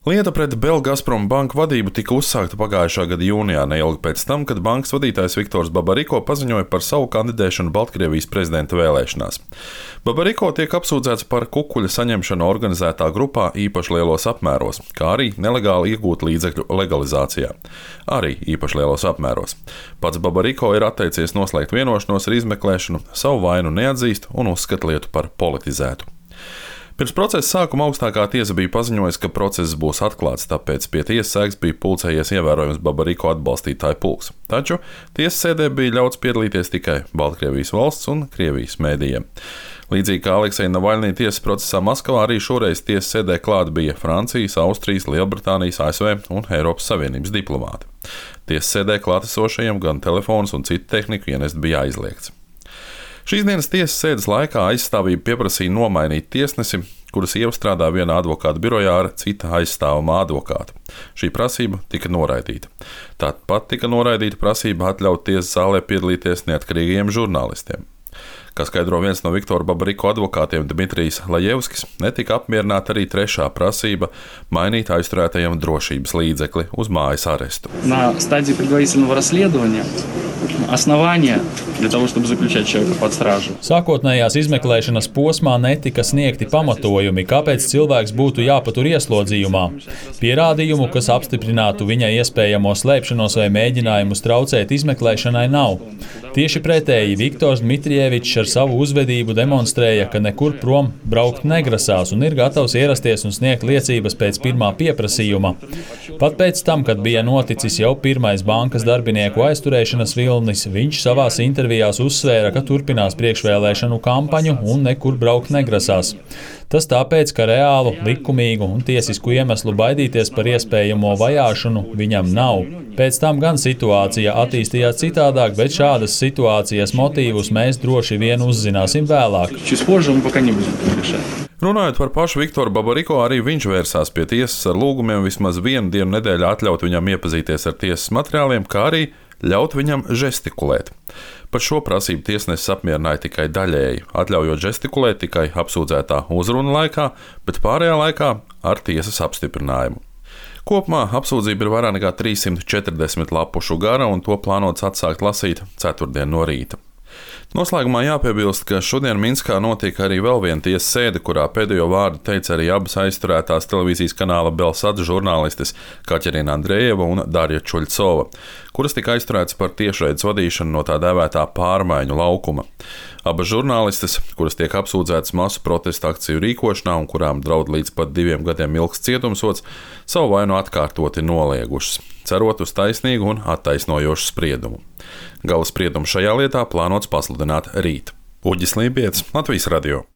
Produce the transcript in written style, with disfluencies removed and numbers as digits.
Lieta pret Belgazprom banku vadību tika uzsākta pagājušā gada jūnijā, neilgi pēc tam, kad bankas vadītājs Viktors Babariko paziņoja par savu kandidēšanu Baltkrievijas prezidenta vēlēšanās. Babariko tiek apsūdzēts par kukuļa saņemšanu organizētā grupā īpaši lielos apmēros, kā arī nelegāli iegūt līdzekļu legalizācijā. Arī īpaši lielos apmēros. Pats Babariko ir atteicies noslēgt vienošanos ar izmeklēšanu, savu vainu neatzīst un uzskata lietu par politizētu. Pirms procesa sākuma augstākā tiesa bija paziņojusi, ka process būs atklāts, tāpēc pie tiesas sēgas bija pulcējies ievērojams Babariko atbalstītāju pulks. Taču tiesas sēdē bija ļauts piedalīties tikai Baltkrievijas valsts un Krievijas mēdījiem. Līdzīgi kā Aleksija Navaļnī tiesas procesā Maskavā, arī šoreiz tiesas sēdē klāt bija Francijas, Austrijas, Lielbritānijas, ASV un Eiropas Savienības diplomāti. Tiesas sēdē klātesošajiem gan telefons un citu tehniku ienest bija aizliegts. Šīs dienas tiesas sēdes laikā aizstāvība pieprasīja nomainīt tiesnesi, kuras iestrādā vienā advokāta birojā ar cita aizstāvamā advokāta. Šī prasība tika noraidīta. Tāpat tika noraidīta prasība atļaut tiesas zālē piedalīties neatkarīgiem žurnālistiem. Kā skaidro viens no Viktora Babariko advokātiem Dmitrijs Lajevskis, netika apmierināta arī trešā prasība mainīt aizturētajiem drošības līdzekli uz mājas arestu. На стадии предварительного расследования основания для того, чтобы заключать человека под стражу. Sākotnējās izmeklēšanas posmā netika sniegti pamatojumi, kāpēc cilvēks būtu jāpatur ieslodzījumā. Pierādījumu, kas apstiprinātu viņa iespējamo slēpšanos vai mēģinājumus traucēt izmeklēšanai, nav. Tieši pretēji Viktors Dmitrijevičs ar savu uzvedību demonstrēja, ka nekur prom braukt negrasās un ir gatavs ierasties un sniegt liecības pēc pirmā pieprasījuma. Pat pēc tam, kad bija noticis jau pirmais bankas darbinieku aizturēšanas vilnis, viņš savās intervijās uzsvēra, ka turpinās priekšvēlēšanu kampaņu un nekur braukt negrasās. Tas tāpēc, ka reālu, likumīgu un tiesisku iemeslu baidīties par iespējamo vajāšanu viņam nav. Pēc tam gan situācija attīstījās citādāk, bet šādas situācijas motīvus mēs droši vien uzzināsim vēlāk. Runājot par pašu Viktoru Babariko, arī viņš vērsās pie tiesas ar lūgumiem vismaz vienu dienu nedēļā atļaut viņam iepazīties ar tiesas materiāliem, kā arī ļaut viņam žestikulēt. Par šo prasību tiesnesis apmierināja tikai daļēji, atļaujot žestikulēt tikai apsūdzētā uzruna laikā, bet pārējā laikā ar tiesas apstiprinājumu. Kopumā apsūdzība ir vairāk nekā 340 lapušu gara, un to plānots atsākt lasīt ceturtdien no rīta. Noslēgumā jāpiebilst, ka šodien Minskā notiek arī vēl viena tiesas sēde, kurā pēdējo vārdu teica arī abas aizturētās televīzijas kanāla Belsats žurnālistes Kaķerina Andrejeva un Darja Čuļcova, kuras tika aizturētas par tiešraides vadīšanu no tā dēvētā pārmaiņu laukuma. Abas žurnālistes, kuras tiek apsūdzētas masu protesta akciju rīkošanā un kurām draud līdz pat 2 gadiem ilgs cietumsods, savu vainu atkārtoti noliegušas, cerot uz taisnīgu un attaisnojošu spriedumu. Gala spriedumu šajā lietā plānots pasludināt rīt. Uģis Lībietis, Latvijas radio.